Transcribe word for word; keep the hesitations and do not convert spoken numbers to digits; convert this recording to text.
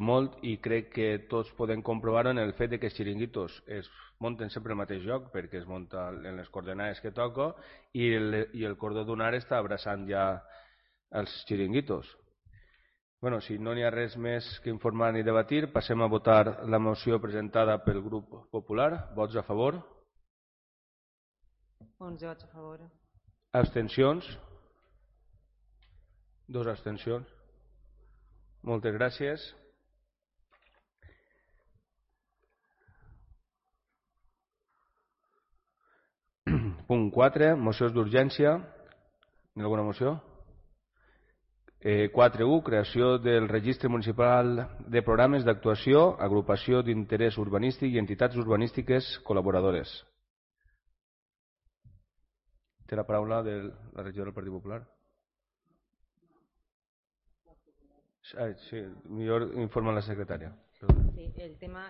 molt i crec que tots podem comprovar-ho en el fet de que els xiringuitos es munten sempre al mateix lloc perquè es munta en les coordenades que toca i el, i el cordó dunar està abraçant ja els xiringuitos. Bueno, si no n'hi ha res més que informar ni debatir, passem a votar la moció presentada pel grup popular. Vots a favor? onze vots a favor. Abstencions? Dos abstencions. Moltes gràcies. Punt quatre, mocions d'urgència. Hi ha alguna moció? Eh, quatre u, creació del registre municipal de programes d'actuació, agrupació d'interès urbanístic i entitats urbanístiques col·laboradores. Té la paraula de la regidora del Partit Popular. Ah, sí, millor informa la secretària. Sí, el tema